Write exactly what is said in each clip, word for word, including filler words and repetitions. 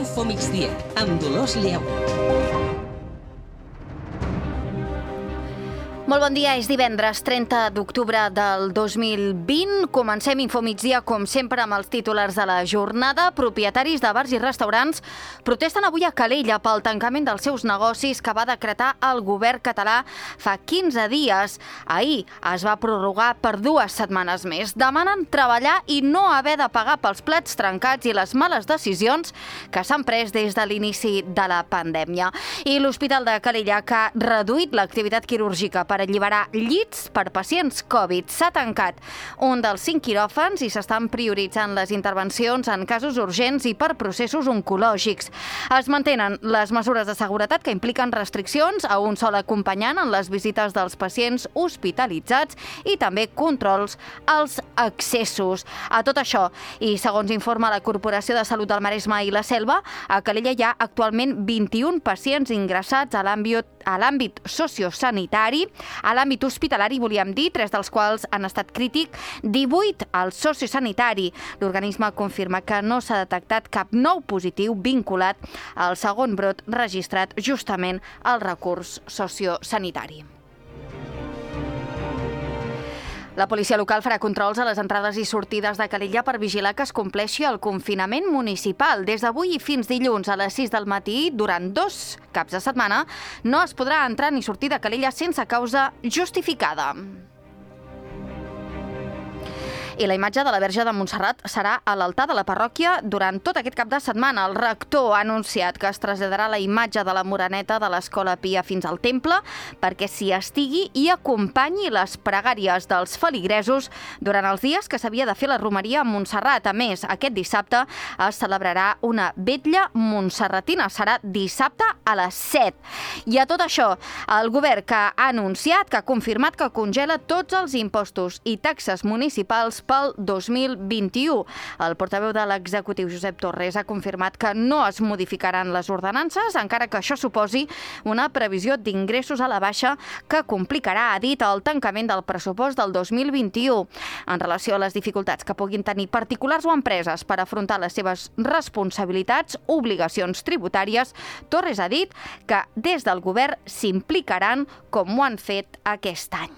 Infomigdia, amb Dolors Lleó. Molt bon dia, és divendres trenta d'octubre del dos mil vint. Comencem Infomigdia, com sempre, amb els titulars de la jornada. Propietaris de bars i restaurants protesten avui a Calella pel tancament dels seus negocis que va decretar el govern català fa quinze dies. Ahir es va prorrogar per dues setmanes més. Demanen treballar i no haver de pagar pels plats trencats i les males decisions que s'han pres des de l'inici de la pandèmia. I l'Hospital de Calella, que ha reduït l'activitat quirúrgica per alliberar llits per pacients Covid. S'ha tancat un dels cinc quiròfans i s'estan prioritzant les intervencions en casos urgents i per processos oncològics. Es mantenen les mesures de seguretat que impliquen restriccions a un sol acompanyant en les visites dels pacients hospitalitzats i també controls als accessos. A tot això, i segons informa la Corporació de Salut del Maresme i la Selva, a Calella hi ha actualment vint-i-un pacients ingressats a l'àmbit a l'àmbit sociosanitari. A l'àmbit hospitalari, volíem dir, tres dels quals han estat crític, divuit al sociosanitari. L'organisme confirma que no s'ha detectat cap nou positiu vinculat al segon brot registrat justament al recurs sociosanitari. La policia local farà controls a les entrades i sortides de Calella per vigilar que es compleixi el confinament municipal. Des d'avui i fins dilluns a les sis del matí, durant dos caps de setmana, no es podrà entrar ni sortir de Calella sense causa justificada. I la imatge de la Verge de Montserrat serà a l'altar de la parròquia durant tot aquest cap de setmana. El rector ha anunciat que es traslladarà la imatge de la Moreneta de l'Escola Pia fins al temple perquè s'hi estigui i acompanyi les pregàries dels feligresos durant els dies que s'havia de fer la romeria a Montserrat. A més, aquest dissabte es celebrarà una vetlla montserratina. Serà dissabte a les set. I a tot això, el govern que ha anunciat, que ha confirmat que congela tots els impostos i taxes municipals pel dos mil vint-i-u. El portaveu de l'executiu, Josep Torres, ha confirmat que no es modificaran les ordenances, encara que això suposi una previsió d'ingressos a la baixa que complicarà, ha dit, el tancament del pressupost del dos mil vint-i-u. En relació a les dificultats que puguin tenir particulars o empreses per afrontar les seves responsabilitats, obligacions tributàries, Torres ha dit que des del govern s'implicaran com ho han fet aquest any.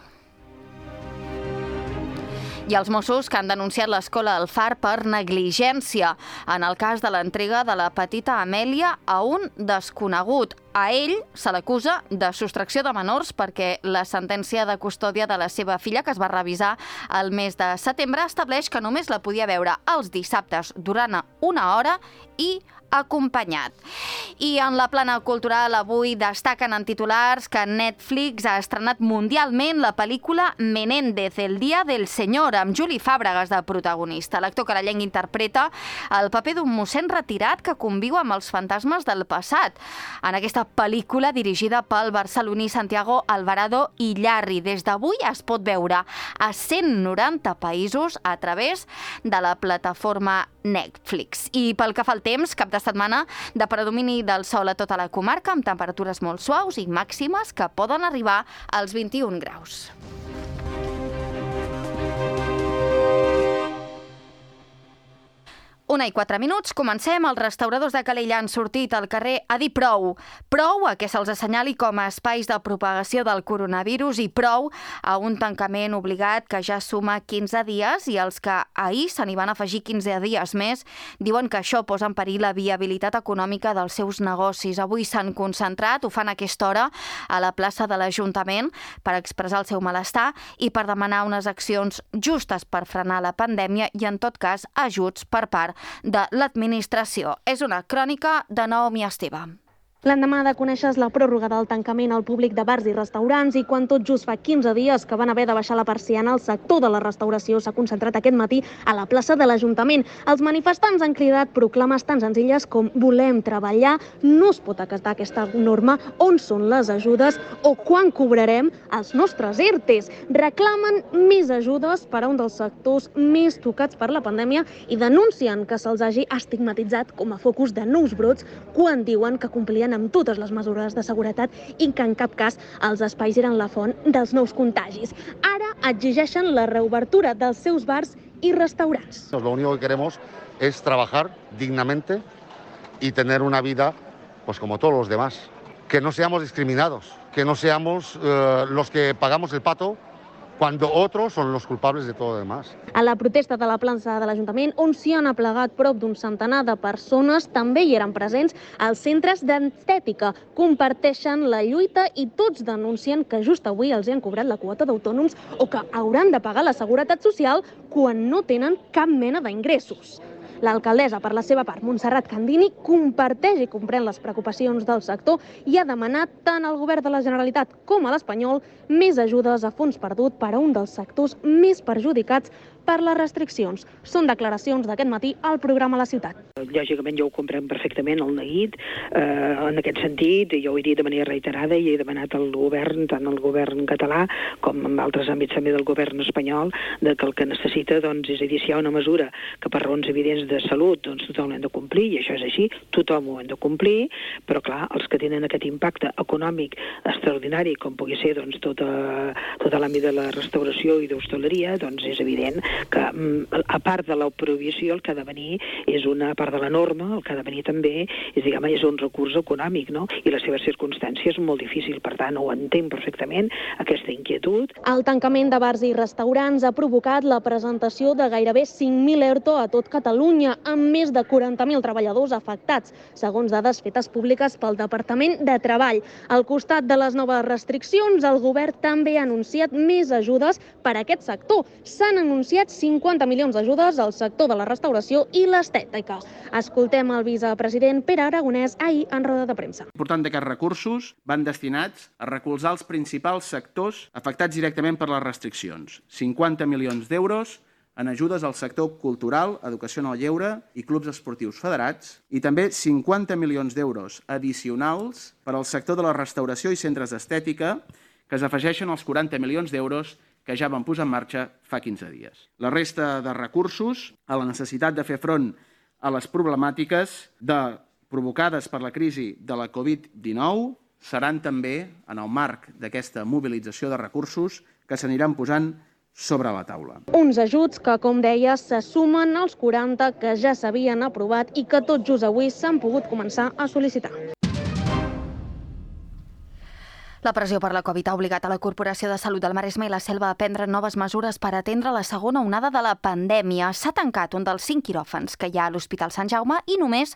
I els Mossos que han denunciat l'escola El Far per negligència en el cas de l'entrega de la petita Amèlia a un desconegut. A ell se l'acusa de sostracció de menors perquè la sentència de custòdia de la seva filla, que es va revisar el mes de setembre, estableix que només la podia veure els dissabtes durant una hora i acompanyat. I en la plana cultural avui destaquen en titulars que Netflix ha estrenat mundialment la pel·lícula Menéndez, el dia del senyor, amb Juli Fàbregas de protagonista. L'actor carallenc interpreta el paper d'un mossèn retirat que conviu amb els fantasmes del passat. En aquesta pel·lícula, dirigida pel barceloní Santiago Alvarado Illarri, des d'avui es pot veure a cent noranta països a través de la plataforma Netflix. I pel que fa al temps, cap de setmana de predomini del sol a tota la comarca, amb temperatures molt suaus i màximes que poden arribar als vint-i-un graus. Una i quatre minuts, comencem. Els restauradors de Calella han sortit al carrer a dir prou. Prou a que se'ls assenyali com a espais de propagació del coronavirus i prou a un tancament obligat que ja suma quinze dies i els que ahir se n'hi van afegir quinze dies més diuen que això posa en perill la viabilitat econòmica dels seus negocis. Avui s'han concentrat, ho fan a aquesta hora, a la plaça de l'Ajuntament per expressar el seu malestar i per demanar unes accions justes per frenar la pandèmia i, en tot cas, ajuts per part de l'administració. És una crònica de Naomi Esteve. L'endemà de conèixer la pròrroga del tancament al públic de bars i restaurants i quan tot just fa quinze dies que van haver de baixar la persiana, el sector de la restauració s'ha concentrat aquest matí a la plaça de l'Ajuntament. Els manifestants han cridat proclames tan senzilles com volem treballar, no es pot acatar aquesta norma, on són les ajudes o quan cobrarem els nostres E R T Es. Reclamen més ajudes per a un dels sectors més tocats per la pandèmia i denuncien que se'ls hagi estigmatitzat com a focus de nous brots quan diuen que complien amb totes les mesures de seguretat i que en cap cas els espais eren la font dels nous contagis. Ara exigeixen la reobertura dels seus bars y restaurantes. Lo único que queremos es trabajar dignamente y tener una vida pues como todos los demás. Que no seamos discriminados, que no seamos eh, los que pagamos el pato cuando otros son los culpables de todo lo demás. A la protesta de la plaça de l'Ajuntament, on s'hi han aplegat prop d'un centenar de persones, també hi eren presents els centres d'estètica. Comparteixen la lluita i tots denuncien que just avui els hi han cobrat la quota d'autònoms o que hauran de pagar la seguretat social quan no tenen cap mena d'ingressos. L'alcaldessa, per la seva part, Montserrat Candini, comparteix i comprèn les preocupacions del sector i ha demanat tant al govern de la Generalitat com a l'espanyol més ajudes a fons perdut per a un dels sectors més perjudicats per les restriccions. Són declaracions d'aquest matí al programa La Ciutat. Lògicament jo ho comprem perfectament, el neguit, eh, en aquest sentit, jo ho he dit de manera reiterada i he demanat al govern, tant al govern català com en altres àmbits també del govern espanyol, de que el que necessita, doncs, és a dir, si hi ha una mesura que per raons evidents de salut, doncs tothom l'hem de complir, i això és així, tothom ho hem de complir, però clar, els que tenen aquest impacte econòmic extraordinari, com pugui ser doncs, tota, tota l'àmbit de la restauració i d'hostaleria, doncs és evident que a part de la prohibició el que ha de venir és una part de la norma, el que ha de venir també és, diguem, és un recurs econòmic, no? I les seves circumstàncies són molt difícils, per tant ho entenc perfectament, aquesta inquietud. El tancament de bars i restaurants ha provocat la presentació de gairebé cinc mil ERTO a tot Catalunya, amb més de quaranta mil treballadors afectats, segons dades fetes públiques pel Departament de Treball. Al costat de les noves restriccions, el govern també ha anunciat més ajudes per a aquest sector. S'han anunciat cinquanta milions d'ajudes al sector de la restauració i l'estètica. Escoltem el vicepresident Pere Aragonès ahir en roda de premsa. L'important d'aquests recursos van destinats a recolzar els principals sectors afectats directament per les restriccions. cinquanta milions d'euros en ajudes al sector cultural, educació en el lleure i clubs esportius federats, i també cinquanta milions d'euros addicionals per al sector de la restauració i centres d'estètica, que s'afegeixen als quaranta milions d'euros que ja van posar en marxa fa quinze dies. La resta de recursos, a la necessitat de fer front a les problemàtiques de, provocades per la crisi de la covid dinou, seran també, en el marc d'aquesta mobilització de recursos, que s'aniran posant sobre la taula. Uns ajuts que, com deia, se sumen als quaranta que ja s'havien aprovat i que tot just avui s'han pogut començar a sol·licitar. La pressió per la Covid ha obligat a la Corporació de Salut del Maresme i la Selva a prendre noves mesures per atendre la segona onada de la pandèmia. S'ha tancat un dels cinc quiròfans que hi ha a l'Hospital Sant Jaume i només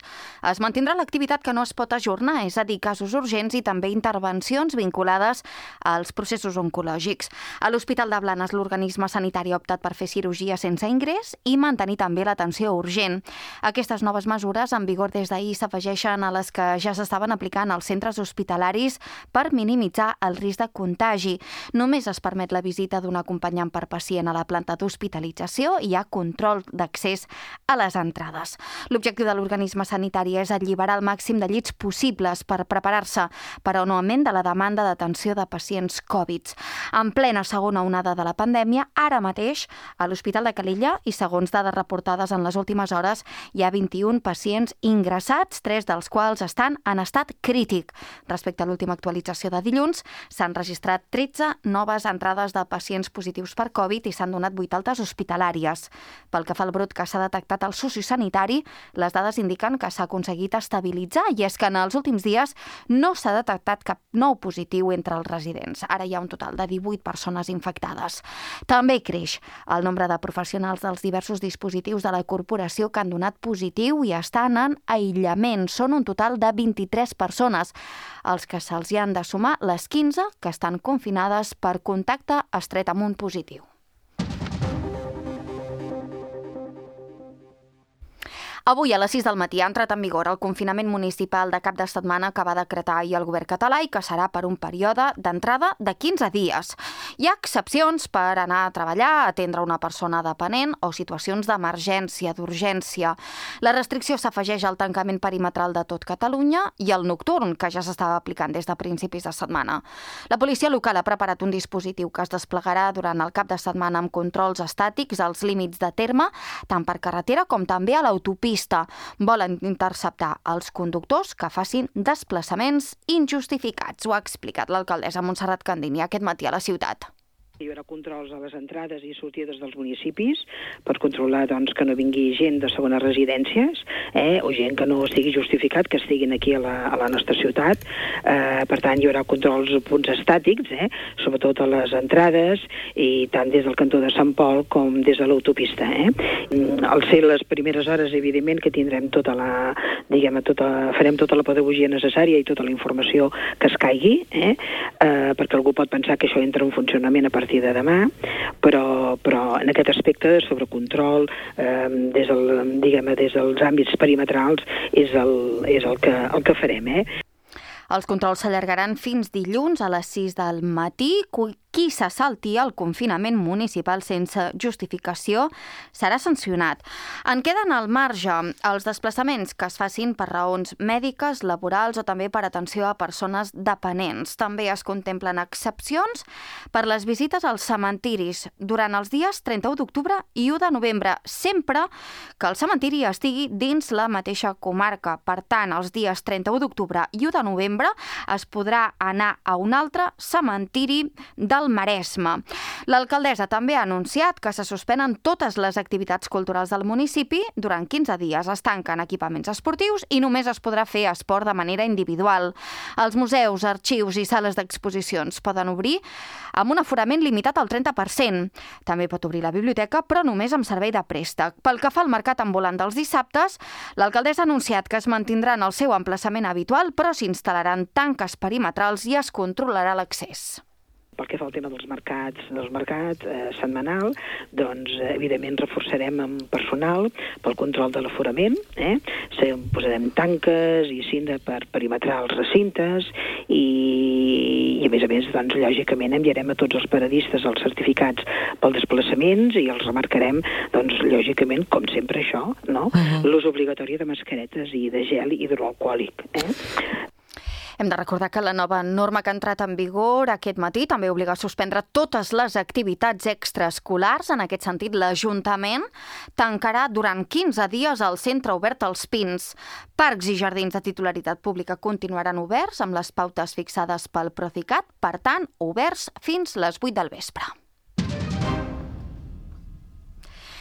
es mantindrà l'activitat que no es pot ajornar, és a dir, casos urgents i també intervencions vinculades als processos oncològics. A l'Hospital de Blanes, l'organisme sanitari ha optat per fer cirurgia sense ingrés i mantenir també l'atenció urgent. Aquestes noves mesures, en vigor des d'ahir, s'afegeixen a les que ja s'estaven aplicant als centres hospitalaris per minimitzar el risc de contagi. Només es permet la visita d'un acompanyant per pacient a la planta d'hospitalització i hi ha control d'accés a les entrades. L'objectiu de l'organisme sanitari és alliberar el màxim de llits possibles per preparar-se per a un augment de la demanda d'atenció de pacients Covid. En plena segona onada de la pandèmia, ara mateix, a l'Hospital de Calella, i segons dades reportades en les últimes hores, hi ha vint-i-un pacients ingressats, tres dels quals estan en estat crític. Respecte a l'última actualització de dilluns, s'han registrat tretze noves entrades de pacients positius per Covid i s'han donat vuit altes hospitalàries. Pel que fa al brot que s'ha detectat al sociosanitari, les dades indiquen que s'ha aconseguit estabilitzar, i és que en els últims dies no s'ha detectat cap nou positiu entre els residents. Ara hi ha un total de divuit persones infectades. També creix el nombre de professionals dels diversos dispositius de la corporació que han donat positiu i estan en aïllament. Són un total de vint-i-tres persones, els que se'ls hi han de sumar les quinze que estan confinades per contacte estret amb un positiu. Avui a les sis del matí ha entrat en vigor el confinament municipal de cap de setmana que va decretar ahir el govern català i que serà per un període d'entrada de quinze dies. Hi ha excepcions per anar a treballar, atendre una persona dependent o situacions d'emergència, d'urgència. La restricció s'afegeix al tancament perimetral de tot Catalunya i al nocturn, que ja s'estava aplicant des de principis de setmana. La policia local ha preparat un dispositiu que es desplegarà durant el cap de setmana amb controls estàtics als límits de terme, tant per carretera com també a l'autopista. Volen interceptar els conductors que facin desplaçaments injustificats. Ho ha explicat l'alcaldessa Montserrat Candini aquest matí a la ciutat. Hi haurà controls a les entrades i sortides dels municipis per controlar doncs, que no vingui gent de segones residències eh, o gent que no estigui justificat que estiguin aquí a la, a la nostra ciutat. Eh, per tant, hi haurà controls a punts estàtics, eh, sobretot a les entrades i tant des del cantó de Sant Pol com des de l'autopista. Eh. Al ser les primeres hores, evidentment, que tindrem tota la, diguem, tota, farem tota la pedagogia necessària i tota la informació que es caigui, eh, eh, perquè algú pot pensar que això entra en funcionament a partir de demà, però, però en aquest aspecte sobre control eh, des, del, diguem, des dels àmbits perimetrals és el, és el, que, el que farem. Eh? Els controls s'allargaran fins dilluns a les sis del matí. Qui se salti el confinament municipal sense justificació serà sancionat. En queden al marge els desplaçaments que es facin per raons mèdiques, laborals o també per atenció a persones dependents. També es contemplen excepcions per les visites als cementiris durant els dies trenta-u d'octubre i u de novembre, sempre que el cementiri estigui dins la mateixa comarca. Per tant, els dies trenta-u d'octubre i u de novembre es podrà anar a un altre cementiri del Maresme. L'alcaldessa també ha anunciat que se suspenen totes les activitats culturals del municipi durant quinze dies. Es tanquen equipaments esportius i només es podrà fer esport de manera individual. Els museus, arxius i sales d'exposicions poden obrir amb un aforament limitat al trenta per cent. També pot obrir la biblioteca, però només amb servei de préstec. Pel que fa al mercat ambulant dels dissabtes, l'alcaldessa ha anunciat que es mantindran el seu emplaçament habitual, però s'instal·laran tanques perimetrals i es controlarà l'accés. Pel que fa al tema dels mercats, dels mercats eh, setmanal, doncs eh, evidentment reforçarem amb personal pel control de l'aforament, eh? posarem tanques i cinta per perimetrar els recintes i, i a més a més, doncs, lògicament enviarem a tots els paradistes els certificats pels desplaçaments i els remarcarem, doncs, lògicament, com sempre això, no? Uh-huh. L'ús obligatori de mascaretes i de gel hidroalcohòlic. Eh? Hem de recordar que la nova norma que ha entrat en vigor aquest matí també obliga a suspendre totes les activitats extraescolars. En aquest sentit, l'Ajuntament tancarà durant quinze dies el centre obert als Pins. Parcs i jardins de titularitat pública continuaran oberts amb les pautes fixades pel Procicat, per tant, oberts fins les vuit del vespre.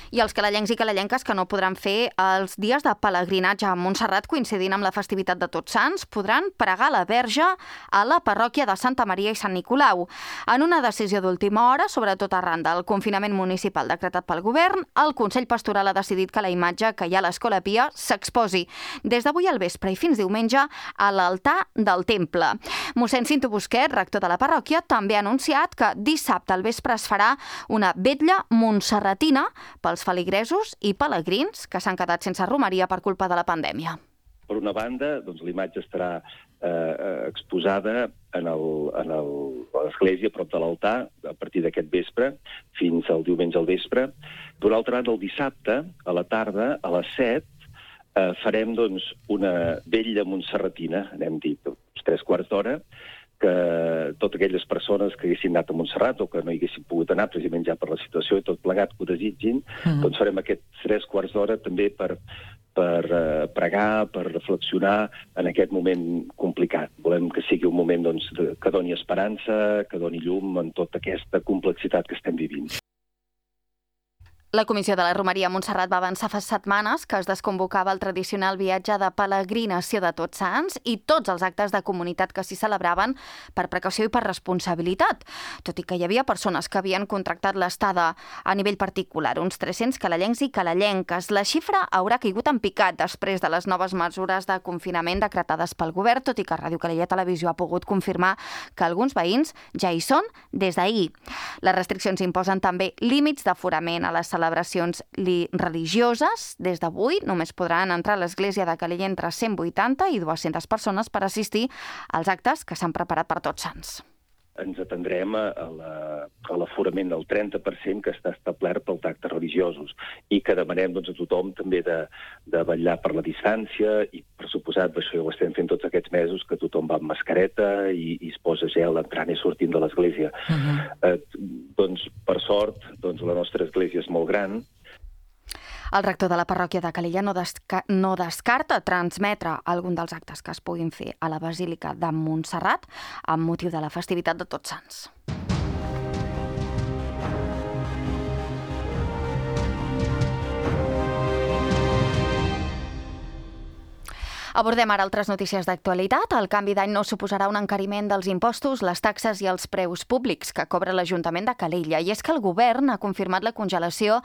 I els calellencs i calellenques que no podran fer els dies de pelegrinatge a Montserrat coincidint amb la festivitat de Tots Sants podran pregar la Verge a la parròquia de Santa Maria i Sant Nicolau. En una decisió d'última hora, sobretot arran del confinament municipal decretat pel govern, el Consell Pastoral ha decidit que la imatge que hi ha a l'Escola Pia s'exposi des d'avui al vespre i fins diumenge a l'altar del temple. Mossèn Cinto Busquet, rector de la parròquia, també ha anunciat que dissabte al vespre es farà una vetlla montserratina pels feligresos i pelegrins que s'han quedat sense romeria per culpa de la pandèmia. Per una banda, doncs, la imatge estarà eh, exposada en el, en el, a l'església, prop de l'altar, a partir d'aquest vespre, fins al diumenge al vespre. D'una altra banda, el dissabte, a la tarda, a les set, eh, farem doncs, una vetlla montserratina, n'hem dit, uns tres quarts d'hora, que totes aquelles persones que haguessin anat a Montserrat o que no hi haguessin pogut anar precisament ja per la situació i tot plegat que ho desitgin, mm. doncs farem aquests tres quarts d'hora també per, per uh, pregar, per reflexionar en aquest moment complicat. Volem que sigui un moment doncs, de, que doni esperança, que doni llum en tota aquesta complexitat que estem vivint. La Comissió de la Romeria a Montserrat va avançar fa setmanes que es desconvocava el tradicional viatge de peregrinació de Tots Sants i tots els actes de comunitat que s'hi celebraven per precaució i per responsabilitat, tot i que hi havia persones que havien contractat l'estada a nivell particular, uns tres-cents calellencs i calellenques. La xifra haurà caigut en picat després de les noves mesures de confinament decretades pel govern, tot i que Ràdio Calella Televisió ha pogut confirmar que alguns veïns ja hi són des d'ahir. Les restriccions imposen també límits d'aforament a les celebracions religioses. Des d'avui només podran entrar a l'església de Calella entre cent vuitanta i dues-centes persones per assistir als actes que s'han preparat per Tots Sants. Ens atendrem a, la, a l'aforament del trenta per cent que està establert pels actes religiosos i que demanem doncs, a tothom també de, de vetllar per la distància i, per suposat, això ho estem fent tots aquests mesos, que tothom va amb mascareta i, i es posa gel entrant i sortint de l'església. Uh-huh. eh, doncs, per sort, doncs, la nostra església és molt gran. El rector de la parròquia de Calella no, desca- no descarta transmetre algun dels actes que es puguin fer a la Basílica de Montserrat amb motiu de la festivitat de Tots Sants. Abordem ara altres notícies d'actualitat. El canvi d'any no suposarà un encariment dels impostos, les taxes i els preus públics que cobra l'Ajuntament de Calella. I és que el govern ha confirmat la congelació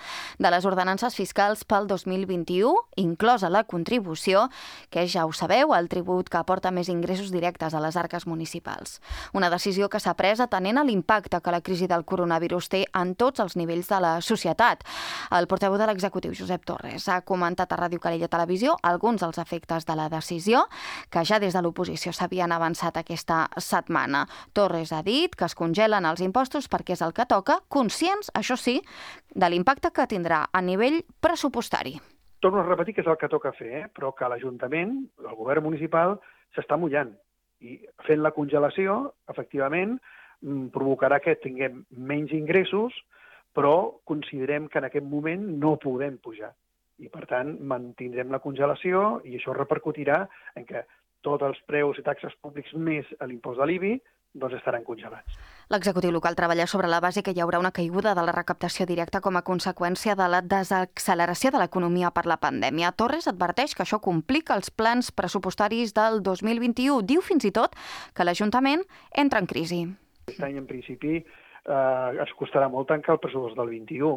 de les ordenances fiscals pel dos mil vint-i-u, inclosa la contribució, que ja ho sabeu, el tribut que aporta més ingressos directes a les arques municipals. Una decisió que s'ha pres atenent a l'impacte que la crisi del coronavirus té en tots els nivells de la societat. El portaveu de l'executiu, Josep Torres, ha comentat a Ràdio Calella Televisió alguns dels efectes de la decisió que ja des de l'oposició s'havien avançat aquesta setmana. Torres ha dit que es congelen els impostos perquè és el que toca, conscients, això sí, de l'impacte que tindrà a nivell pressupostari. Torno a repetir que és el que toca fer, eh? Però que l'Ajuntament, el govern municipal, s'està mullant. I fent la congelació, efectivament, provocarà que tinguem menys ingressos, però considerem que en aquest moment no podem pujar. I, per tant, mantindrem la congelació i això repercutirà en que tots els preus i taxes públics més l'impost de l'I B I doncs estaran congelats. L'executiu local treballa sobre la base que hi haurà una caiguda de la recaptació directa com a conseqüència de la desacceleració de l'economia per la pandèmia. Torres adverteix que això complica els plans pressupostaris del dos mil vint-i-u. Diu fins i tot que l'Ajuntament entra en crisi. Aquest any, en principi, eh, ens costarà molt tancar el pressupost del vint-i-u.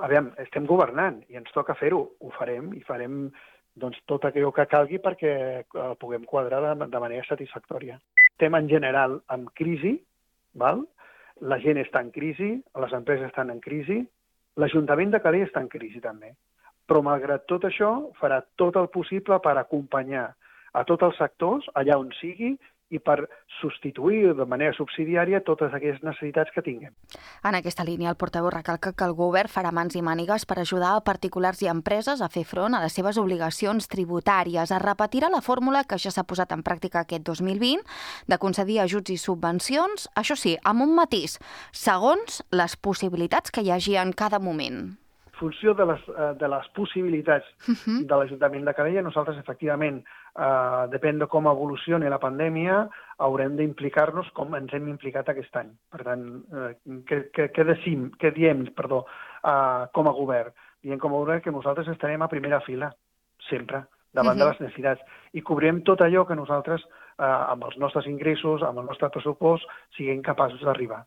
Aviam, estem governant i ens toca fer-ho. Ho farem i farem doncs, tot allò que calgui perquè eh, puguem quadrar de, de manera satisfactòria. Estem en general en crisi, val? La gent està en crisi, les empreses estan en crisi, l'Ajuntament de Calella està en crisi també. Però malgrat tot això farà tot el possible per acompanyar a tots els sectors allà on sigui i per substituir de manera subsidiària totes aquelles necessitats que tinguem. En aquesta línia, el portaveu recalca que el govern farà mans i mànigues per ajudar a particulars i empreses a fer front a les seves obligacions tributàries. Es repetirà la fórmula que ja s'ha posat en pràctica aquest dos mil vint de concedir ajuts i subvencions, això sí, amb un matís, segons les possibilitats que hi hagi en cada moment. En funció de les, de les possibilitats uh-huh. de l'Ajuntament de Calella, nosaltres, efectivament, eh, depèn de com evolucioni la pandèmia, haurem d'implicar-nos com ens hem implicat aquest any. Per tant, eh, què, què, què, decim, què diem perdó, eh, com a govern? Diem com a govern que nosaltres estarem a primera fila, sempre, davant uh-huh. de les necessitats, i cobrirem tot allò que nosaltres, eh, amb els nostres ingressos, amb el nostre pressupost, siguem capaços d'arribar.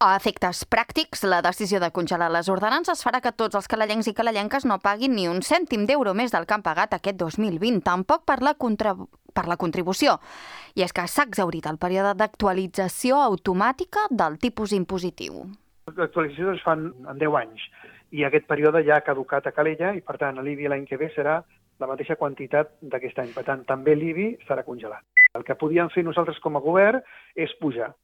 A efectes pràctics, la decisió de congelar les ordenances farà que tots els calellencs i calellenques no paguin ni un cèntim d'euro més del que han pagat aquest dos mil vint, tampoc per la, contra... per la contribució. I és que s'ha exhaurit el període d'actualització automàtica del tipus impositiu. L'actualització es fan en deu anys i aquest període ja ha caducat a Calella i, per tant, l'I B I l'any que ve serà la mateixa quantitat d'aquest any. Per tant, també l'I B I serà congelat. El que podíem fer nosaltres com a govern és pujar.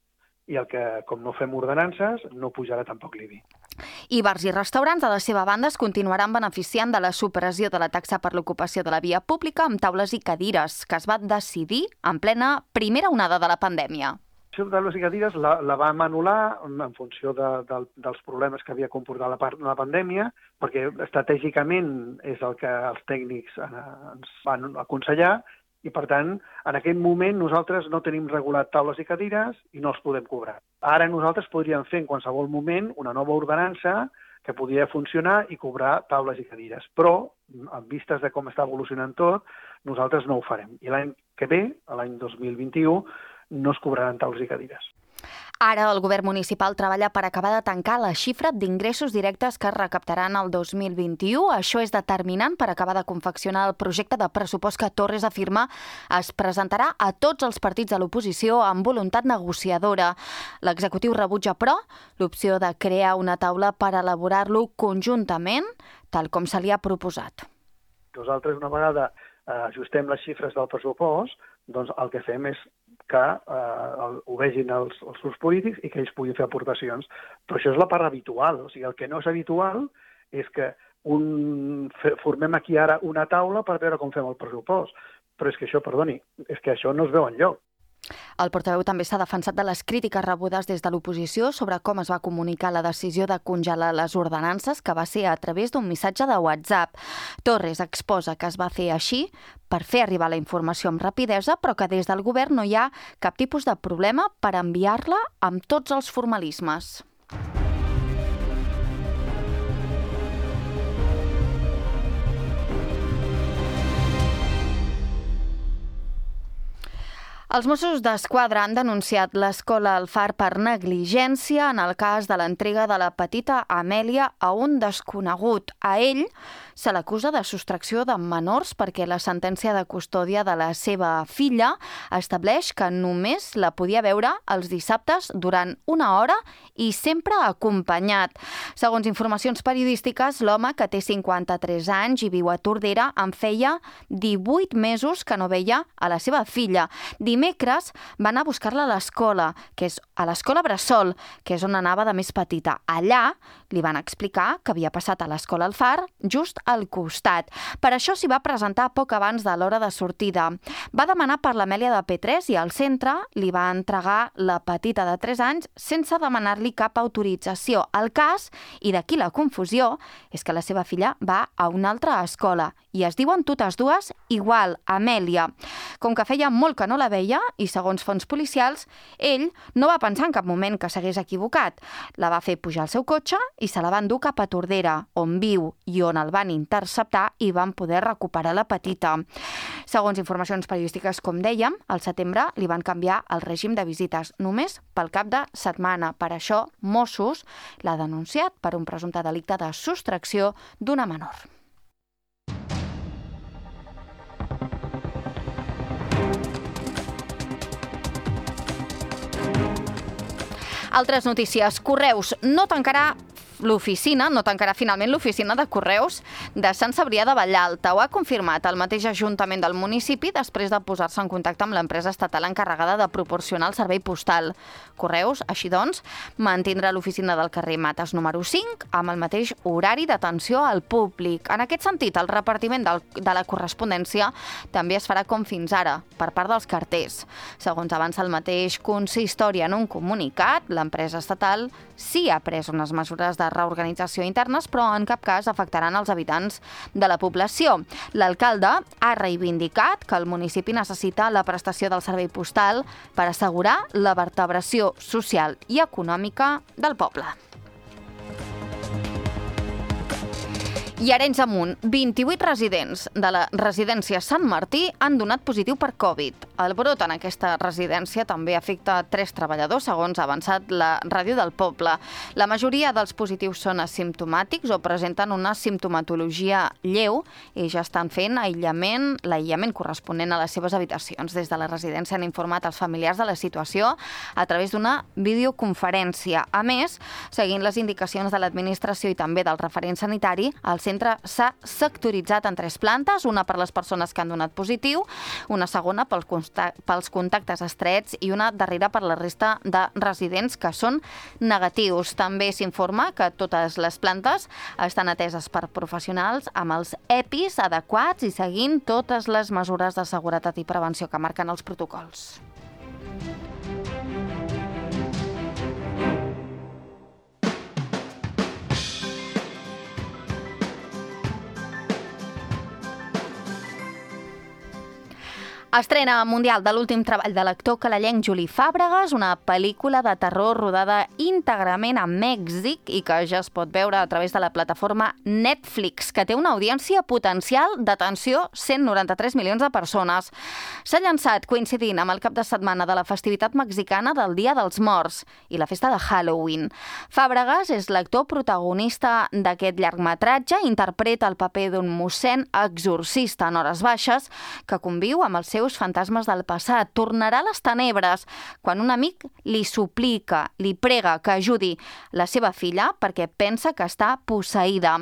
I el que, com no fem ordenances, no pujarà tampoc l'I B I. I bars i restaurants, de la seva banda, es continuaran beneficiant de la supressió de la taxa per l'ocupació de la via pública amb taules i cadires, que es va decidir en plena primera onada de la pandèmia. La taules i cadires la, la vam anul·lar en funció de, de, dels problemes que havia comportat la, la pandèmia, perquè estratègicament és el que els tècnics ens van aconsellar, i, per tant, en aquest moment nosaltres no tenim regulat taules i cadires i no els podem cobrar. Ara nosaltres podríem fer en qualsevol moment una nova ordenança que podria funcionar i cobrar taules i cadires. Però, en vistes de com està evolucionant tot, nosaltres no ho farem. I l'any que ve, l'any dos mil vint-i-u, no es cobraran taules i cadires. Ara el govern municipal treballa per acabar de tancar la xifra d'ingressos directes que es recaptaran el dos mil vint-i-u. Això és determinant per acabar de confeccionar el projecte de pressupost que Torres afirma es presentarà a tots els partits de l'oposició amb voluntat negociadora. L'executiu rebutja, però, l'opció de crear una taula per elaborar-lo conjuntament, tal com se li ha proposat. Nosaltres, una vegada eh, ajustem les xifres del pressupost, doncs el que fem és que eh, ho vegin els, els grups polítics i que ells puguin fer aportacions. Però això és la part habitual. O sigui, el que no és habitual és que un, formem aquí ara una taula per veure com fem el pressupost. Però és que això, perdoni, és que això no es veu enlloc. El portaveu també s'ha defensat de les crítiques rebudes des de l'oposició sobre com es va comunicar la decisió de congelar les ordenances, que va ser a través d'un missatge de WhatsApp. Torres exposa que es va fer així per fer arribar la informació amb rapidesa, però que des del govern no hi ha cap tipus de problema per enviar-la amb tots els formalismes. Els Mossos d'Esquadra han denunciat l'escola El Far per negligència en el cas de l'entrega de la petita Amèlia a un desconegut. A ell se l'acusa de sostracció de menors perquè la sentència de custòdia de la seva filla estableix que només la podia veure els dissabtes durant una hora i sempre acompanyat. Segons informacions periodístiques, l'home, que té cinquanta-tres anys i viu a Tordera, en feia divuit mesos que no veia a la seva filla. Dimecres va anar a buscar-la a l'escola, que és a l'escola Bressol, que és on anava de més petita. Allà li van explicar que havia passat a l'escola El Far, just al costat. Per això s'hi va presentar poc abans de l'hora de sortida. Va demanar per l'Amèlia de P tres i al centre li va entregar la petita de tres anys sense demanar-li cap autorització. El cas, i d'aquí la confusió, és que la seva filla va a una altra escola i es diuen totes dues igual, Amèlia. Com que feia molt que no la veia i segons fonts policials, ell no va pensar en cap moment que s'hagués equivocat. La va fer pujar al seu cotxe i se la van dur cap a Tordera, on viu i on el van interceptar i van poder recuperar la petita. Segons informacions periodístiques, com dèiem, al setembre li van canviar el règim de visites només pel cap de setmana. Per això, Mossos l'ha denunciat per un presumpte delicte de sostracció d'una menor. Altres notícies. Correus no tancarà l'oficina, no tancarà finalment l'oficina de Correus de Sant Cebrià de Vallalta. Ho ha confirmat el mateix Ajuntament del municipi després de posar-se en contacte amb l'empresa estatal encarregada de proporcionar el servei postal. Correus, així doncs, mantindrà l'oficina del carrer Mates número cinc amb el mateix horari d'atenció al públic. En aquest sentit, el repartiment del, de la correspondència també es farà com fins ara, per part dels carters. Segons avança el mateix consistori en un comunicat, l'empresa estatal sí ha pres unes mesures de reorganització internes, però en cap cas afectaran els habitants de la població. L'alcalde ha reivindicat que el municipi necessita la prestació del servei postal per assegurar la vertebració social i econòmica del poble. I Arenys amunt, vint-i-vuit residents de la residència Sant Martí han donat positiu per Covid. El brot en aquesta residència també afecta tres treballadors, segons ha avançat la ràdio del poble. La majoria dels positius són asimptomàtics o presenten una simptomatologia lleu i ja estan fent aïllament, l'aïllament corresponent a les seves habitacions. Des de la residència han informat els familiars de la situació a través d'una videoconferència. A més, seguint les indicacions de l'administració i també del referent sanitari, el centre s'ha sectoritzat en tres plantes, una per les persones que han donat positiu, una segona pels contactes estrets i una darrera per la resta de residents que són negatius. També s'informa que totes les plantes estan ateses per professionals amb els E P Is adequats i seguint totes les mesures de seguretat i prevenció que marquen els protocols. Estrena mundial de l'últim treball de l'actor canadenc Juli Fàbregas, una pel·lícula de terror rodada íntegrament a Mèxic i que ja es pot veure a través de la plataforma Netflix, que té una audiència potencial d'atenció cent noranta-tres milions de persones. S'ha llançat coincidint amb el cap de setmana de la festivitat mexicana del Dia dels Morts i la festa de Halloween. Fàbregas és l'actor protagonista d'aquest llargmetratge, interpreta el paper d'un mossèn exorcista en hores baixes que conviu amb els seus fantasmes del passat. Tornarà a les tenebres quan un amic li suplica, li prega que ajudi la seva filla perquè pensa que està posseïda.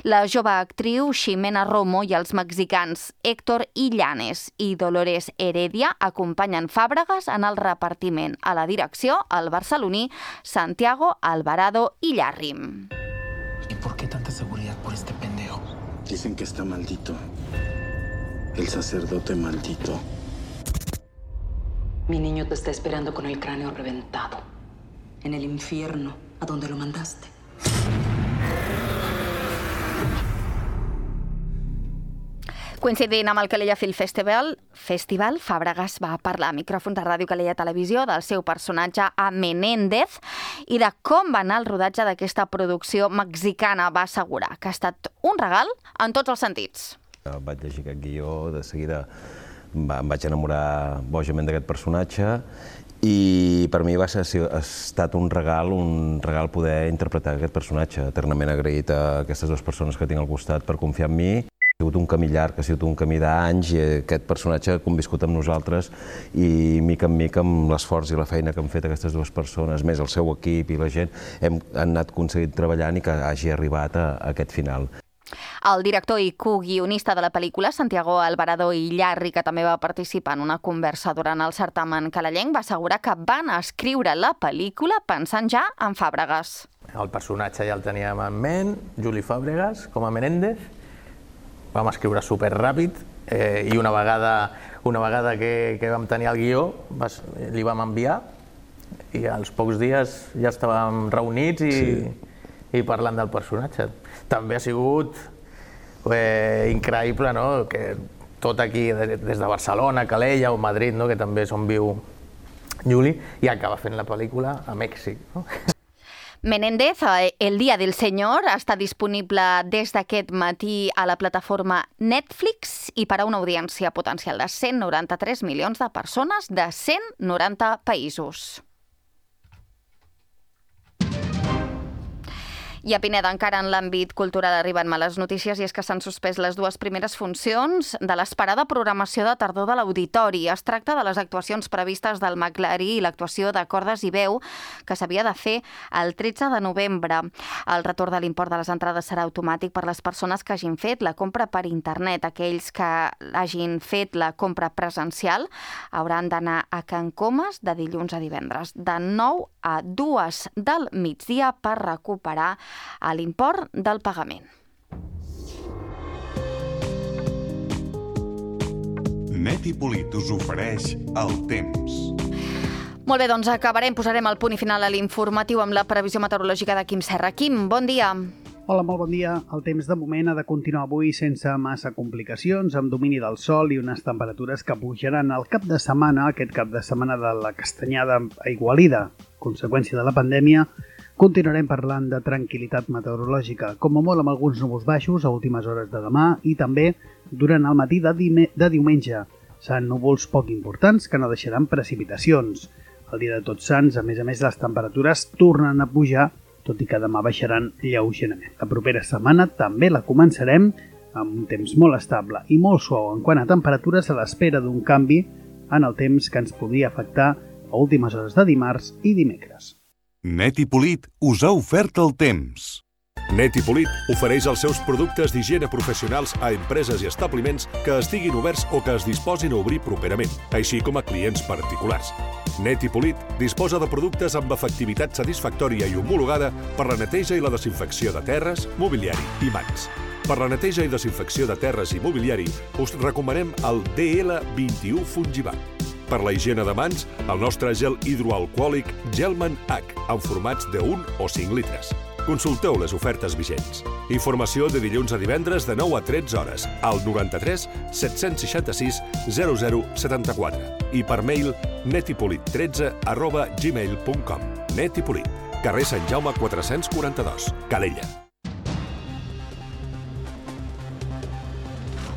La jove actriu Ximena Romo i els mexicans Héctor Illanes i Dolores Heredia acompanyen Fàbregas en el repartiment. A la direcció, el barceloní Santiago Alvarado Illarrim. ¿Y por qué tanta seguridad por este pendejo? Dicen que está maldito. El sacerdote maldito. Mi niño te está esperando con el cráneo reventado. En el infierno, a donde lo mandaste. Coincidint amb el Calella Film Festival, Festival, Fàbregas va parlar a micròfons de Ràdio Calella Televisió del seu personatge a Menéndez i de com va anar el rodatge d'aquesta producció mexicana. Va assegurar que ha estat un regal en tots els sentits. Vaig llegir aquest guió, de seguida em vaig enamorar bojament d'aquest personatge i per mi va ser, ha estat un regal, un regal poder interpretar aquest personatge. Eternament agraït a aquestes dues persones que tinc al costat per confiar en mi. Ha sigut un camí llarg, ha sigut un camí d'anys i aquest personatge ha conviscut amb nosaltres i mica en mica amb l'esforç i la feina que han fet aquestes dues persones, més el seu equip i la gent, hem anat aconseguint treballant i que hagi arribat a, a aquest final. El director i coguionista de la pel·lícula, Santiago Alvarado i Llarri, que també va participar en una conversa durant el certamen canalenc, va assegurar que van escriure la pel·lícula pensant ja en Fàbregas. El personatge ja el teníem en ment, Juli Fàbregas, com a Menéndez. Vam escriure superràpid eh, i una vegada, una vegada que, que vam tenir el guió vas, li vam enviar i als pocs dies ja estàvem reunits i, sí. i parlant del personatge. També ha sigut eh, increïble, no?, que tot aquí, des de Barcelona, Calella o Madrid, no?, que també és on viu Juli, i acaba fent la pel·lícula a Mèxic. No? Menéndez, El Día del Señor, està disponible des d'aquest matí a la plataforma Netflix i per a una audiència potencial de cent noranta-tres milions de persones de cent noranta països. I a Pineda, encara en l'àmbit cultural, arriben males notícies i és que s'han suspès les dues primeres funcions de l'esperada programació de tardor de l'Auditori. Es tracta de les actuacions previstes del Maclari i l'actuació de Cordes i Veu, que s'havia de fer el tretze de novembre. El retorn de l'import de les entrades serà automàtic per les persones que hagin fet la compra per internet. Aquells que hagin fet la compra presencial hauran d'anar a Can Comas de dilluns a divendres, de nou a dues del migdia, per recuperar a l'import del pagament. Net i Polit us ofereix el temps. Molt bé, doncs acabarem, posarem el punt i final a l'informatiu amb la previsió meteorològica de Quim Serra. Quim, bon dia. Hola, molt bon dia. El temps de moment ha de continuar avui sense massa complicacions, amb domini del sol i unes temperatures que pujaran al cap de setmana, aquest cap de setmana de la castanyada aigualida, conseqüència de la pandèmia. Continuarem parlant de tranquil·litat meteorològica, com a molt amb alguns núvols baixos a últimes hores de demà i també durant el matí de, de diumenge. Seran núvols poc importants que no deixaran precipitacions. El dia de Tots Sants, a més a més, les temperatures tornen a pujar, tot i que demà baixaran lleugerament. La propera setmana també la començarem amb un temps molt estable i molt suau en quant a temperatures, a l'espera d'un canvi en el temps que ens podria afectar a últimes hores de dimarts i dimecres. Net i Polit us ha ofert el temps. Net i Polit ofereix els seus productes d'higiene professionals a empreses i establiments que estiguin oberts o que es disposin a obrir properament, així com a clients particulars. Net i Polit disposa de productes amb efectivitat satisfactòria i homologada per la neteja i la desinfecció de terres, mobiliari i mans. Per la neteja i desinfecció de terres i mobiliari us recomanem el D L vint-i-u Fungivac. Per la higiene de mans, el nostre gel hidroalcohòlic Gelman H, en formats de un o cinc litres. Consulteu les ofertes vigents. Informació de dilluns a divendres de nou a tretze hores al noranta-tres set-cents seixanta-sis zero zero setanta-quatre i per mail netipolit tretze arroba gmail punt com. Net i Polit, carrer Sant Jaume quatre-cents quaranta-dos, Calella.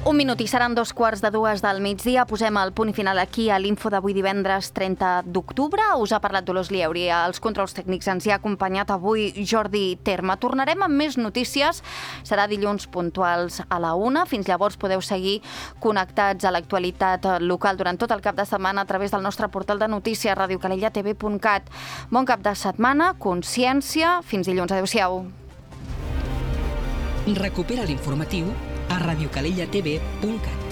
Un minut i seran dos quarts de dues del migdia. Posem el punt i final aquí a l'info d'avui divendres trenta d'octubre. Us ha parlat Dolors Lieuri. Als controls tècnics ens hi ha acompanyat avui Jordi Terma. Tornarem amb més notícies. Serà dilluns puntuals a la una. Fins llavors podeu seguir connectats a l'actualitat local durant tot el cap de setmana a través del nostre portal de notícies radio calella t v punt cat. Bon cap de setmana, consciència. Fins dilluns. Adéu-siau. Recupera l'informatiu a radio calella t v punt cat.